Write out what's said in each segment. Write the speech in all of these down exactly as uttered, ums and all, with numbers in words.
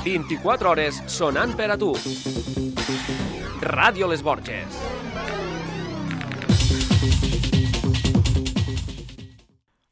vint-i-quatre hores sonant per a tu. Ràdio Les Borges.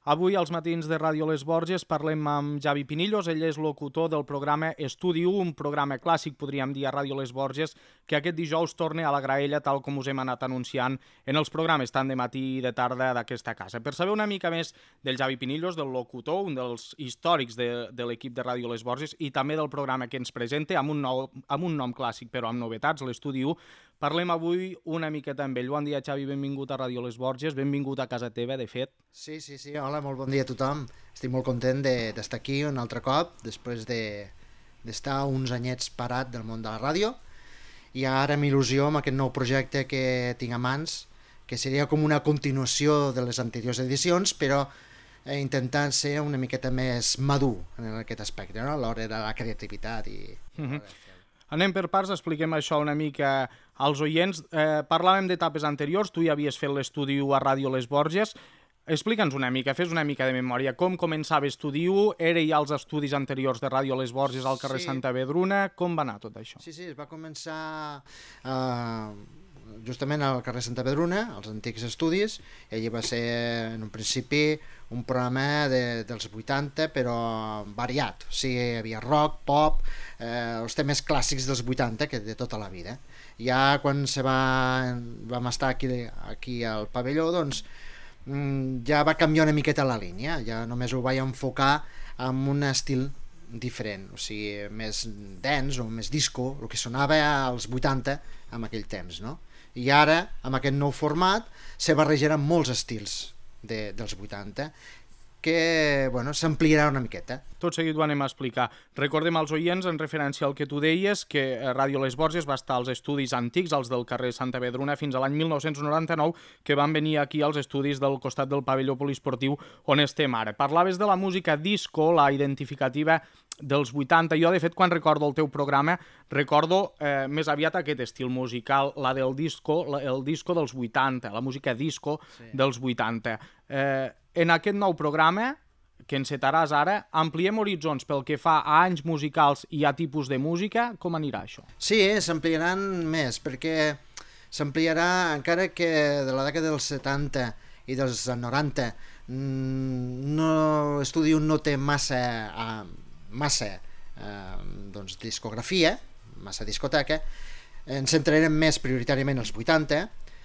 Avui, als matins de Ràdio Les Borges, parlem amb Javi Pinillos. Ell és locutor del programa Estudi u, un programa clàssic, podríem dir, a Ràdio Les Borges, que aquest dijous torna a la graella, tal com us hem anat anunciant en els programes tant de matí i de tarda d'aquesta casa. Per saber una mica més del Javi Pinillos, del locutor, un dels històrics de, de l'equip de Ràdio Les Borges, i també del programa que ens presenta, amb un, nou, amb un nom clàssic, però amb novetats, l'Estudi u, parlem avui una miqueta amb ell. Bon dia, Xavi, benvingut a Ràdio Les Borges, benvingut a casa teva, de fet. Sí, sí, sí, hola, molt bon dia a tothom. Estic molt content d'estar de, aquí un altre cop, després d'estar de, uns anyets parat del món de la ràdio, i ara amb il·lusió amb aquest nou projecte que tinc a mans, que seria com una continuació de les anteriors edicions, però eh, intentant ser una miqueta més madur en aquest aspecte, no? A l'hora de la creativitat i... Mm-hmm. Anem per parts, expliquem això una mica als oients. Eh, parlàvem d'etapes anteriors, tu ja havies fet l'Estudi u a Ràdio Les Borges. Explica'ns una mica, fes una mica de memòria. Com començava Estudi u? Era ja als estudis anteriors de Ràdio Les Borges al carrer sí. Santa Vedruna? Com va anar tot això? Sí, sí, es va començar eh, justament al carrer Santa Vedruna, als antics estudis, i allí va ser en un principi un programa de, dels vuitanta, però variat. O sigui, hi havia rock, pop, eh, els temes clàssics dels vuitanta, que de tota la vida. Ja quan se va, vam estar aquí, aquí al pavelló, doncs ja va canviar una miqueta la línia, ja només ho vaig enfocar amb un estil diferent, o sigui, més dance o més disco, el que sonava als vuitanta en aquell temps, no? I ara, amb aquest nou format, se barrejaran molts estils de, dels vuitanta, que bueno, s'ampliarà una miqueta. Tot seguit ho anem a explicar. Recordem als oients, en referència al que tu deies, que Ràdio Les Borges va estar als estudis antics, els del carrer Santa Vedruna, fins a l'any mil nou-cents noranta-nou, que van venir aquí als estudis del costat del pavelló poliesportiu on estem ara. Parlaves de la música disco, la identificativa dels vuitanta. Jo, de fet, quan recordo el teu programa, recordo eh, més aviat aquest estil musical, la del disco, el disco dels vuitanta, la música disco sí. dels vuitanta. Eh, en aquest nou programa, que encetaràs ara, ampliem horitzons pel que fa a anys musicals i a tipus de música. Com anirà això? Sí, s'ampliaran més, perquè s'ampliarà, encara que de la dècada dels setanta i dels noranta no, Estudi u no té massa... Eh, massa eh, doncs, discografia, massa discoteca, ens centrarem més prioritàriament als vuitanta,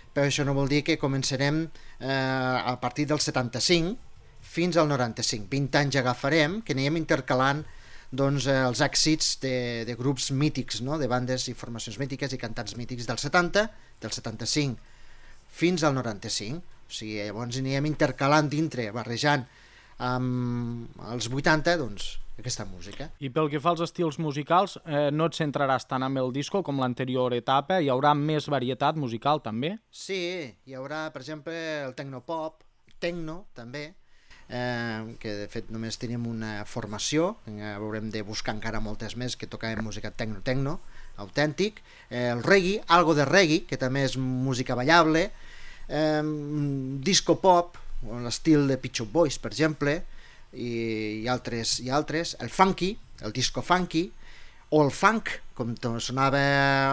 però això no vol dir que començarem eh, a partir del setanta-cinc fins al noranta-cinc. vint anys agafarem, que anirem intercalant doncs, eh, els èxits de, de grups mítics, no? De bandes i formacions mítiques i cantants mítics del setanta, del setanta-cinc fins al noranta-cinc. O sigui, llavors anirem intercalant dintre, barrejant amb els vuitanta, doncs, aquesta música. I pel que fa als estils musicals, eh, no et centraràs tant amb el disco com l'anterior etapa? Hi haurà més varietat musical, també? Sí, hi haurà, per exemple, el tecnopop, tecno, també, eh, que de fet només tenim una formació, eh, haurem de buscar encara moltes més que toquem música tecno-tecno, autèntic, eh, el reggae, algo de reggae, que també és música ballable, eh, disco pop, l'estil de Pet Shop Boys, per exemple, i, i, altres, i altres, el funky, el disco funky, o el funk, com sonava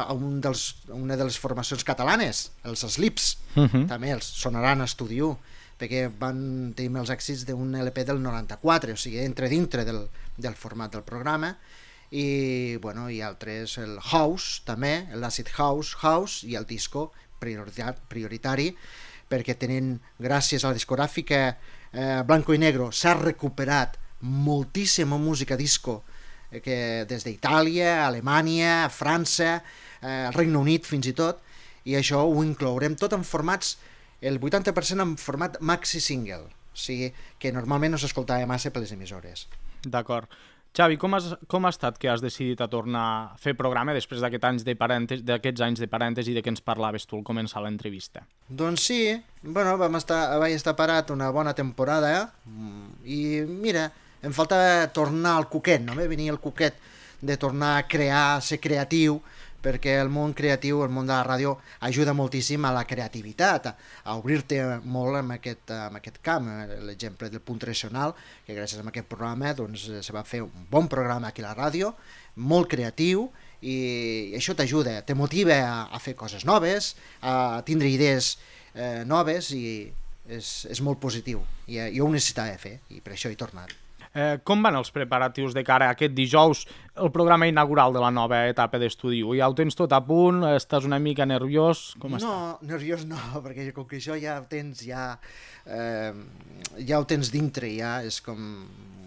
a un dels, una de les formacions catalanes, els Slips, uh-huh. també els sonaran a Estudi u, perquè van tenir els èxits d'un L P del noranta-quatre, o sigui, entre dintre del, del format del programa, i, bueno, i altres, el house, també, l'acid house, house, i el disco prioritari, prioritari perquè tenen, gràcies a la discogràfica eh, Blanco i Negro, s'ha recuperat moltíssima música disco eh, que des d'Itàlia, Alemanya, França, eh, el Regne Unit fins i tot, i això ho inclourem tot en formats, el vuitanta per cent en format maxi single, o sigui que normalment no s'escoltava massa per les emissores. D'acord. Xavi, com, has, com ha estat que has decidit a tornar a fer programa després d'aquests anys de parèntesi, d'aquests anys de parèntesi de què ens parlaves tu al començar l'entrevista? Doncs sí, bueno, vam estar, vaig estar parat una bona temporada i mira, em faltava tornar al cuquet, no? Venia el cuquet de tornar a crear, ser creatiu, perquè el món creatiu, el món de la ràdio, ajuda moltíssim a la creativitat, a, a obrir-te molt en aquest, en aquest camp. L'exemple del Punt Tradicional, que gràcies a aquest programa doncs, se va fer un bon programa aquí a la ràdio, molt creatiu, i això t'ajuda, te motiva a, a fer coses noves, a tindre idees eh, noves, i és, és molt positiu. I, jo ho necessitava fer, i per això he tornat. Eh, com van els preparatius de cara a aquest dijous, el programa inaugural de la nova etapa d'estudi? Ja ho tens tot a punt? Estàs una mica nerviós? Com no, està? Nerviós no, perquè com que això ja ho tens, ja, eh, ja ho tens dintre, ja és com,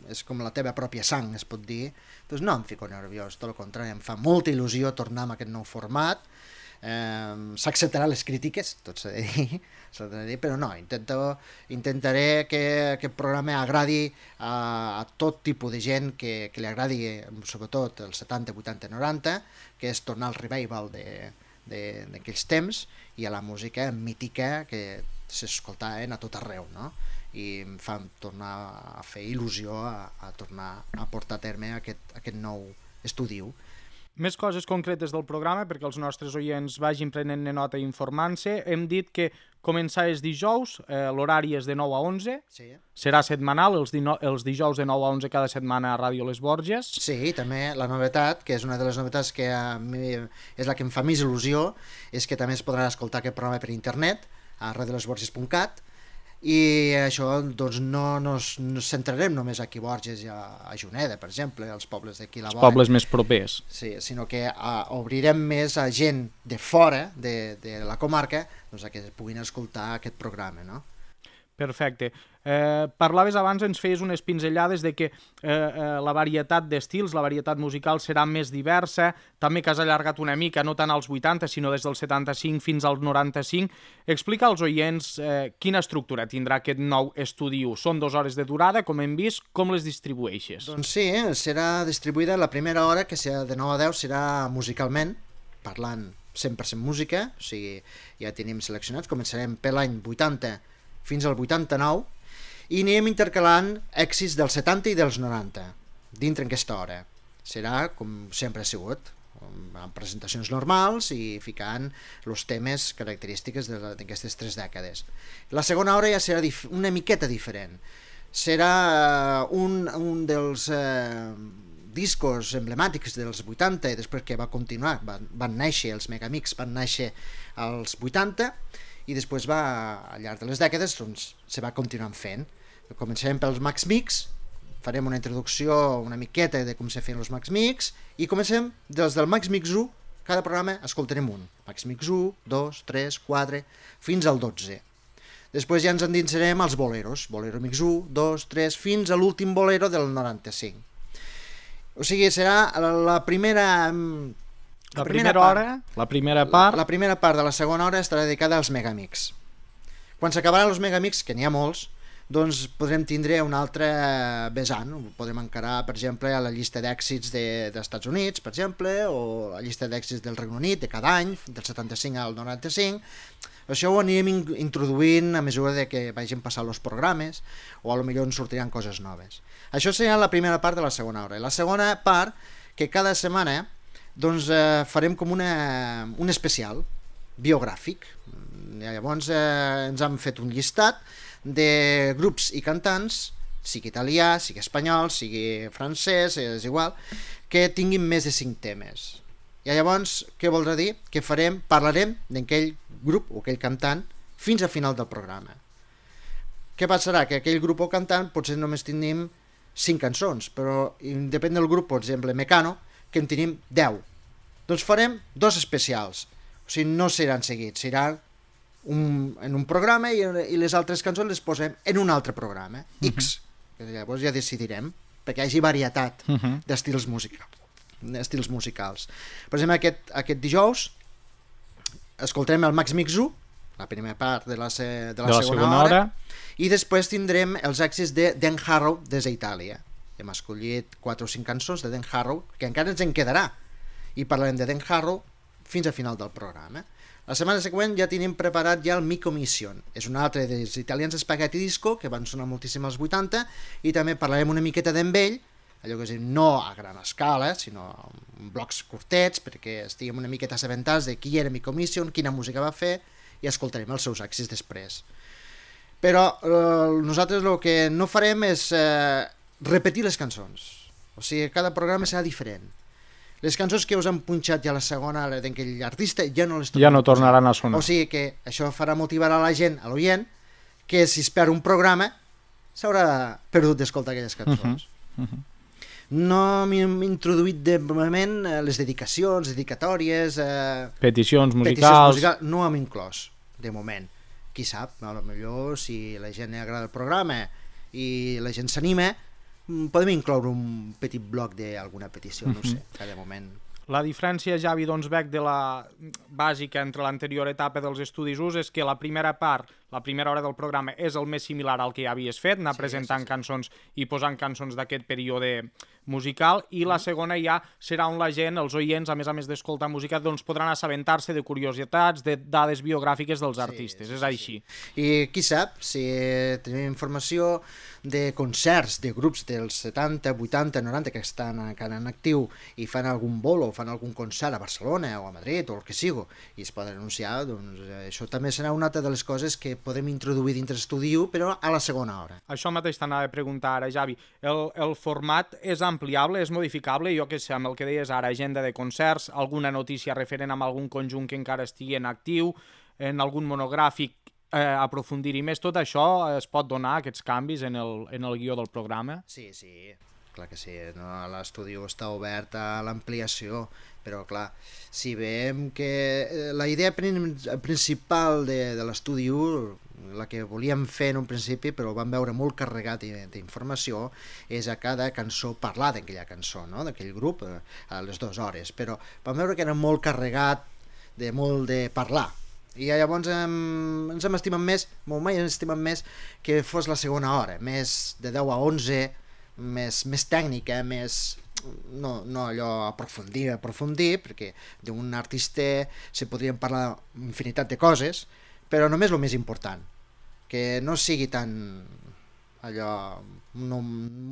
és com la teva pròpia sang, es pot dir. Doncs no em fico nerviós, tot el contrari, em fa molta il·lusió tornar amb aquest nou format. Eh, s'acceptarà les crítiques, tot s'ha de dir, s'ha de dir, però no, intento, intentaré que aquest programa agradi a, a tot tipus de gent, que, que li agradi sobretot els setanta, vuitanta, noranta, que és tornar al revival d'aquells temps, i a la música mítica que s'escoltaven a tot arreu, no? I em fa tornar a fer il·lusió a, a tornar a portar a terme aquest, aquest nou estudi. Més coses concretes del programa perquè els nostres oients vagin prenent nota i informant-se. Hem dit que començar és dijous, eh, l'horari és de nou a onze, sí. Serà setmanal, els, dino, els dijous de nou a onze cada setmana a Ràdio Les Borges. Sí, també la novetat, que és una de les novetats que a mi és la que em fa més il·lusió, és que també es podrà escoltar aquest programa per internet a radio les borges punt cat, i això doncs no nos, nos centrarem només aquí a Borges i a, a Juneda, per exemple, als pobles d'aquí la vora. Els pobles més propers. Sí, sinó que a, obrirem més a gent de fora de, de la comarca, doncs a que puguin escoltar aquest programa, no? Perfecte. Eh, parlaves abans, ens feies unes pinzellades de que eh, eh, la varietat d'estils, la varietat musical serà més diversa, també que has allargat una mica, no tant als vuitanta, sinó des del setanta-cinc fins als noranta-cinc. Explica als oients eh, quina estructura tindrà aquest nou estudi. Són dues hores de durada, com hem vist, com les distribueixes? Doncs sí, serà distribuïda la primera hora, que serà de nou a deu, serà musicalment, parlant cent per cent música, o sigui, ja tenim seleccionats, començarem per l'any vuitanta fins al vuitanta-nou, i anirem intercalant èxits dels setanta i dels noranta, dintre aquesta hora. Serà, com sempre ha sigut, amb presentacions normals i ficant els temes característiques d'aquestes tres dècades. La segona hora ja serà una miqueta diferent. Serà un, un dels eh, discos emblemàtics dels vuitanta, i després que va continuar, van, van néixer, els Megamix van néixer als vuitanta, i després va, al llarg de les dècades, doncs, se va continuant fent. Començarem pels Max Mix, farem una introducció una miqueta de com se feien els Max Mix, i comencem des del Max Mix u, cada programa escoltarem un. Max Mix u, dos, tres, quatre, fins al dotze. Després ja ens endinsarem als boleros, Bolero Mix u, dos, tres, fins a l'últim bolero del noranta-cinc. O sigui, serà la primera... La, la primera, primera hora, part, la primera part... La, la primera part de la segona hora estarà dedicada als Megamix. Quan s'acabaran els Megamix, que n'hi ha molts, doncs podrem tindre un altre vessant. Podrem encarar, per exemple, a la llista d'èxits de, dels Estats Units, per exemple, o la llista d'èxits del Regne Unit de cada any, del setanta-cinc al noranta-cinc. Això ho anirem introduint a mesura de que vagin passant els programes, o a lo millor ens sortiran coses noves. Això serà la primera part de la segona hora. La segona part, que cada setmana doncs eh, farem com una, un especial biogràfic. Llavors eh, ens han fet un llistat de grups i cantants, sigui italià, sigui espanyol, sigui francès, és igual, que tinguin més de cinc temes. I llavors, què voldrà dir? Que farem, parlarem d'aquell grup o aquell cantant fins al final del programa. Què passarà? Que aquell grup o cantant potser només tinguem cinc cançons, però depèn del grup, per exemple, Mecano, que en tenim deu. Doncs farem dos especials. O sigui, no seran seguits, seran un, en un programa i, i les altres cançons les posem en un altre programa, X. Uh -huh. Llavors ja decidirem, perquè hi hagi varietat uh -huh. d'estils musicals. d'estils musicals. Per exemple, aquest, aquest dijous escoltarem el Max Mix u, la primera part de la, se, de la, de la segona, segona hora, hora, i després tindrem els èxits de Dan Harrow des d'Itàlia. Hem escollit quatre o cinc cançons de Dan Harrow, que encara ens en quedarà, i parlarem de Dan Harrow fins al final del programa. La setmana següent ja tenim preparat ja el Mico Mission. És un altre dels italians Spaghetti Disco, que van sonar moltíssim als vuitanta, i també parlarem una miqueta d'en ell, allò que és dir, no a gran escala, sinó en blocs curtets, perquè estiguem una miqueta assabentats de qui era Mico Mission, quina música va fer, i escoltarem els seus èxits després. Però eh, nosaltres el que no farem és eh, repetir les cançons. O sigui, cada programa serà diferent. Les cançons que us han punxat ja a la segona d'aquell artista ja no les ja no tornaran a sonar. O sigui que això farà motivar a la gent, a l'oient, que si es perd un programa s'haurà perdut d'escoltar aquelles cançons. Uh -huh. Uh -huh. No m'hem introduït de moment les dedicacions, dedicatòries... Eh, peticions musicals... Peticions musicals, no hem inclòs, de moment. Qui sap, potser si la gent li agrada el programa i la gent s'anima, podem incloure un petit bloc d'alguna petició, no ho sé, cada moment. La diferència, Javi, doncs, veig de la bàsica entre l'anterior etapa dels Estudis U S és que la primera part, la primera hora del programa, és el més similar al que ja havies fet, anar sí, presentant sí, sí. cançons i posant cançons d'aquest període musical, i la segona ja serà on la gent, els oients, a més a més d'escoltar música, doncs podran assabentar-se de curiositats, de dades biogràfiques dels artistes, sí, sí, és així. Sí. I qui sap, si tenim informació de concerts de grups dels setanta, vuitanta, noranta que estan encara en actiu i fan algun bolo o fan algun concert a Barcelona o a Madrid o el que sigui i es poden anunciar, doncs això també serà una altra de les coses que podem introduir dintre l'estudi U, però a la segona hora. Això mateix t'anava a preguntar ara, Javi. El, el format és ampliable, és modificable? Jo què sé, amb el que deies ara, agenda de concerts, alguna notícia referent amb algun conjunt que encara estigui en actiu, en algun monogràfic, eh, aprofundir-hi més, tot això es pot donar, aquests canvis en el, en el guió del programa? Sí, sí, clar que sí, no? L'estudi està obert a l'ampliació, però clar, si veiem que la idea principal de, de l'estudi U, la que volíem fer en un principi, però ho vam veure molt carregat d'informació, és a cada cançó parlar d'aquella cançó, no? D'aquell grup, a les dues hores, però vam veure que era molt carregat de molt de parlar, i llavors hem, ens hem estimat més, molt mai hem estimat més que fos la segona hora, més de deu a onze, més, més tècnica, més... No, no allò aprofundir, aprofundir, perquè d'un artista se podrien parlar infinitat de coses, però només el més important, que no sigui tan allò... No,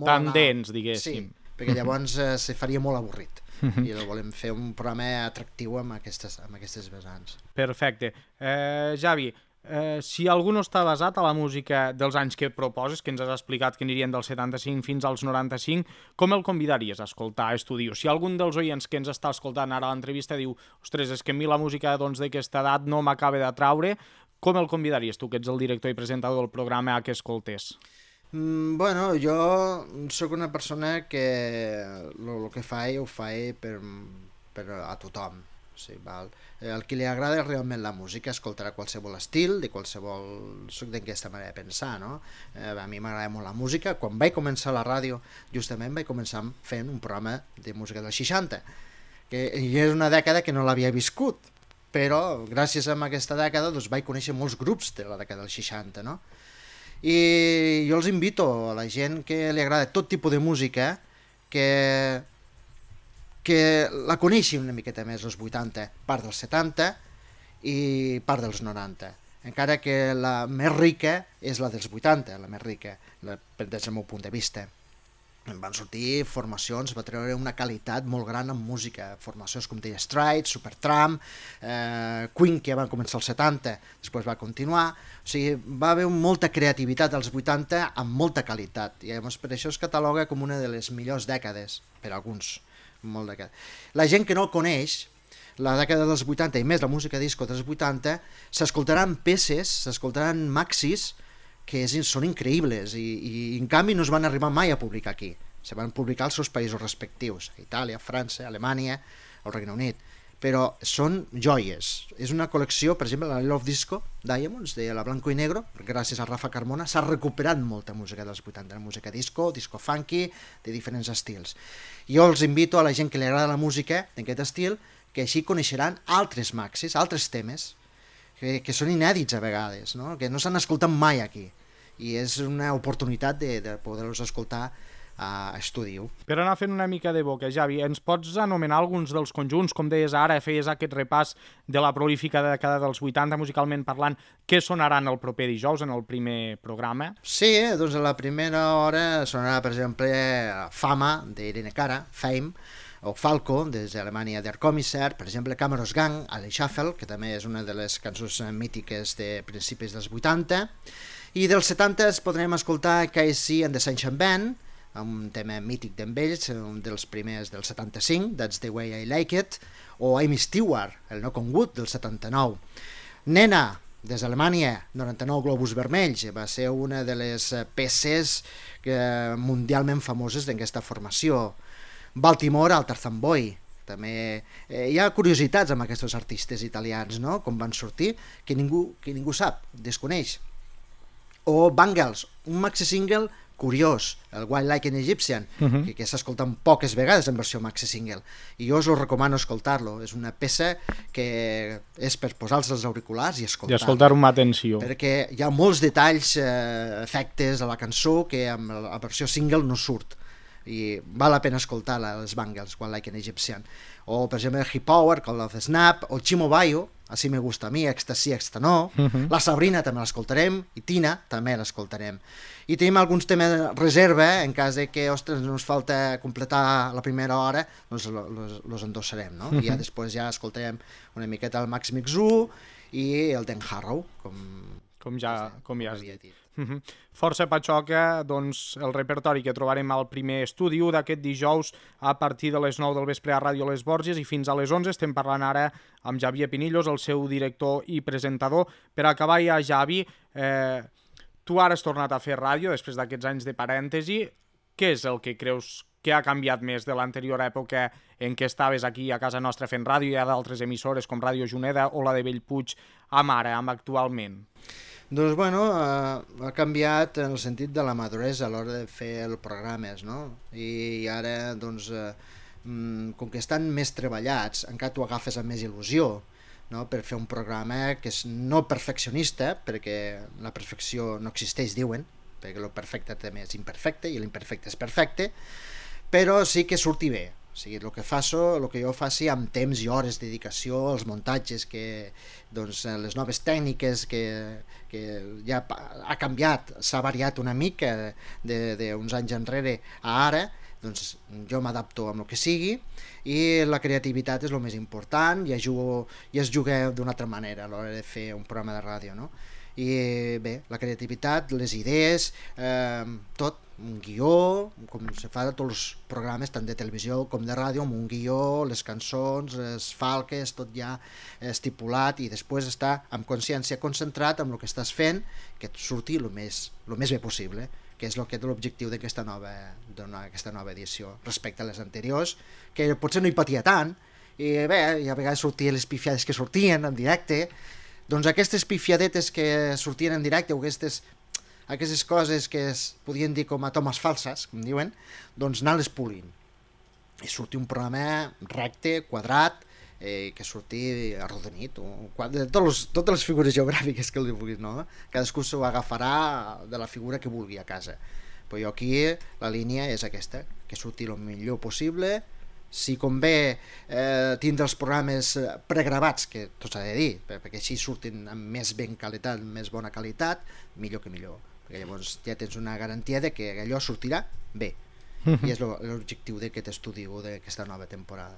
tan dens, diguéssim. Sí, perquè llavors eh, se faria molt avorrit. I volem fer un programa atractiu amb aquestes, amb aquestes vessants. Perfecte. Eh, Javi, eh, si algú no està basat a la música dels anys que proposes, que ens has explicat que anirien del setanta-cinc fins als noranta-cinc, com el convidaries a escoltar Estudi U? Si algun dels oients que ens està escoltant ara a l'entrevista diu ostres, és que a mi la música doncs, d'aquesta edat no m'acaba d'atraure, com el convidaries tu, que ets el director i presentador del programa, a que escoltés? Mm, bueno, jo sóc una persona que el que faig ho faig per, per a tothom. Sí, val. El que li agrada realment la música escoltarà qualsevol estil, de qualsevol... Soc d'aquesta manera de pensar, no? Eh, a mi m'agrada molt la música. Quan vaig començar la ràdio, justament vaig començar fent un programa de música dels seixanta, que és una dècada que no l'havia viscut, però gràcies a aquesta dècada doncs, vaig conèixer molts grups de la dècada dels seixanta, no? I jo els invito a la gent que li agrada tot tipus de música que, que la coneixi una miqueta més els vuitanta, part dels setanta i part dels noranta, encara que la més rica és la dels vuitanta, la més rica, la, des del meu punt de vista. Van sortir formacions, va treure una qualitat molt gran en música, formacions com Dire Straits, Supertramp, eh, Queen, que van començar als setanta, després va continuar, o sigui, va haver molta creativitat als vuitanta amb molta qualitat, i llavors per això es cataloga com una de les millors dècades, per alguns, molt dècades. La gent que no el coneix, la dècada dels vuitanta i més la música disco dels vuitanta, s'escoltaran peces, s'escoltaran maxis, que són increïbles i, i en canvi no es van arribar mai a publicar aquí. Se van publicar als seus països respectius, a Itàlia, França, Alemanya, el Regne Unit, però són joies. És una col·lecció, per exemple, la Love Disco Diamonds, de la Blanco i Negro, gràcies a Rafa Carmona, s'ha recuperat molta música dels vuitanta, música disco, disco funky, de diferents estils. Jo els invito a la gent que li agrada la música d'aquest estil, que així coneixeran altres maxis, altres temes, Que, que són inèdits a vegades, no? Que no s'han escoltat mai aquí, i és una oportunitat de, de poder-los escoltar a estudi. Per anar fent una mica de boca, Javi, ens pots anomenar alguns dels conjunts? Com deies ara, feies aquest repàs de la prolífica dècada dels vuitanta, musicalment parlant, què sonaran el proper dijous en el primer programa? Sí, doncs a la primera hora sonarà, per exemple, Fama, d'Irene Cara, Fame, o Falco, des d'Alemanya, Der Kommissar, per exemple, Cameros Gang, Alle Shuffle, que també és una de les cançons mítiques de principis dels vuitanta, i dels setanta podrem escoltar K C and the Sunshine Band, un tema mític d'en ells, un dels primers del setanta-cinc, That's the Way I Like It, o Amy Stewart, el Knock on Wood, del setanta-nou. Nena, des d'Alemanya, noranta-nou globus vermells, va ser una de les peces mundialment famoses d'aquesta formació. Baltimore, al Tarzan Boy. També eh, hi ha curiositats amb aquests artistes italians, no? Com van sortir, que ningú, que ningú sap, desconeix. O Bangles, un maxi-single curiós, el White Like an Egyptian, uh-huh. que, que s'escolta poques vegades en versió maxi-single, i jo us ho recomano escoltar-lo. És una peça que és per posar-se els auriculars i escoltar-lo. I escoltar-ho amb atenció. Perquè hi ha molts detalls, eh, efectes a la cançó que amb la versió single no surt. I val la pena escoltar les Bangles, White Like an Egyptian. O, per exemple, Hip Power, Call of the Snap, o Chimo Bayo, Así me gusta a mi, Ecstasy, Exta no. Uh-huh. La Sabrina també l'escoltarem, i Tina també l'escoltarem. I tenim alguns temes de reserva, en cas de que, ostres, ens falta completar la primera hora, doncs els endossarem, no? Uh-huh. I ja després ja escoltarem una miqueta el Max Mix u i el Dan Harrow, com, com ja, com ja has dit. dit. Uh-huh. Força patxoca, doncs, el repertori que trobarem al primer estudi d'aquest dijous a partir de les nou del vespre a Ràdio Les Borges i fins a les onze. Estem parlant ara amb Xavier Pinillos, el seu director i presentador. Per acabar ja, Xavi, eh, tu ara has tornat a fer ràdio després d'aquests anys de parèntesi. Què és el que creus que ha canviat més de l'anterior època en què estaves aquí a casa nostra fent ràdio? Hi ha d'altres emissores com Ràdio Juneda o la de Bellpuig amb ara, amb actualment. Doncs, bueno, eh, ha canviat en el sentit de la maduresa a l'hora de fer els programes, no? I ara, doncs, eh, com que estan més treballats, encara t'ho agafes amb més il·lusió, no? Per fer un programa que és no perfeccionista, perquè la perfecció no existeix, diuen, perquè el perfecte també és imperfecte i l'imperfecte és perfecte, però sí que surti bé. O sigui, el que faço, el que jo faci amb temps i hores de dedicació, els muntatges, que, doncs, les noves tècniques que, que ja ha canviat, s'ha variat una mica d'uns anys enrere a ara, doncs jo m'adapto amb el que sigui i la creativitat és el més important i es juga, i es juga d'una altra manera a l'hora de fer un programa de ràdio, no? I bé, la creativitat, les idees, eh, tot, un guió, com se fa a tots els programes, tant de televisió com de ràdio, amb un guió, les cançons, les falques, tot ja estipulat, i després estar amb consciència concentrat amb el que estàs fent, que et surti el més, el més bé possible, que és el que és l'objectiu d'aquesta nova, d'aquesta nova edició, respecte a les anteriors, que potser no hi patia tant, i bé, i a vegades sortien les pifiades que sortien en directe. Doncs aquestes pifiadetes que sortien en directe, o aquestes, aquestes coses que es podien dir com a tomes falses, com diuen, doncs anar-les polint. I sortir un programa recte, quadrat, eh, que surti arrodonit, o, tots, totes les figures geogràfiques que li vulguis, no? Cadascú s'ho agafarà de la figura que vulgui a casa. Però jo aquí la línia és aquesta, que surti el millor possible. Si convé eh, tindre els programes pregravats, que tot s'ha de dir, perquè així surtin amb més ben qualitat, més bona qualitat, millor que millor, perquè llavors ja tens una garantia de que allò sortirà bé, i és l'objectiu d'aquest estudi o d'aquesta nova temporada.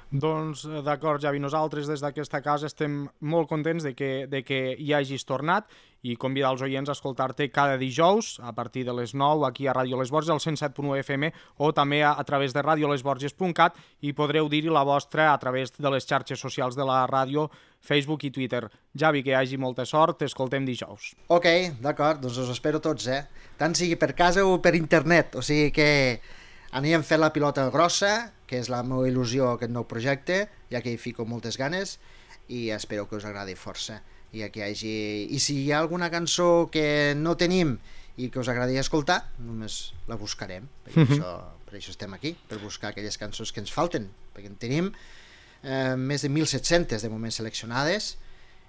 Doncs d'acord, Javi, nosaltres des d'aquesta casa estem molt contents de que, de que hi hagis tornat i convidar els oients a escoltar-te cada dijous a partir de les nou aquí a Ràdio Les Borges, al cent set punt u F M, o també a, a través de radio les borges punt cat, i podreu dir-hi la vostra a través de les xarxes socials de la ràdio, Facebook i Twitter. Javi, que hi hagi molta sort, t'escoltem dijous. Ok, d'acord, doncs us espero tots, eh? Tant sigui per casa o per internet, o sigui que anirem fent la pilota grossa, que és la meva il·lusió aquest nou projecte, ja que hi fico moltes ganes, i espero que us agradi força. I, que hi hagi... I si hi ha alguna cançó que no tenim i que us agradi escoltar, només la buscarem, perquè mm-hmm. això, per això estem aquí, per buscar aquelles cançons que ens falten, perquè en tenim eh, més de mil set-centes de moment seleccionades,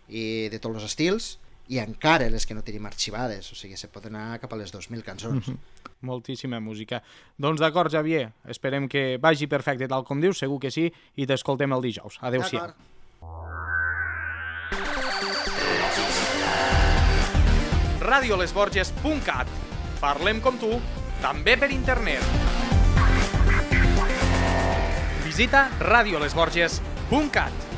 i de tots els estils, i encara les que no tenim arxivades, o sigui, se pot anar cap a les dos mil cançons. Mm-hmm. Moltíssima música. Doncs d'acord, Xavier, esperem que vagi perfecte tal com dius, segur que sí, i t'escoltem el dijous. Adéu-siau. radio les borges punt cat. Parlem com tu, també per internet. Visita radio les borges punt cat.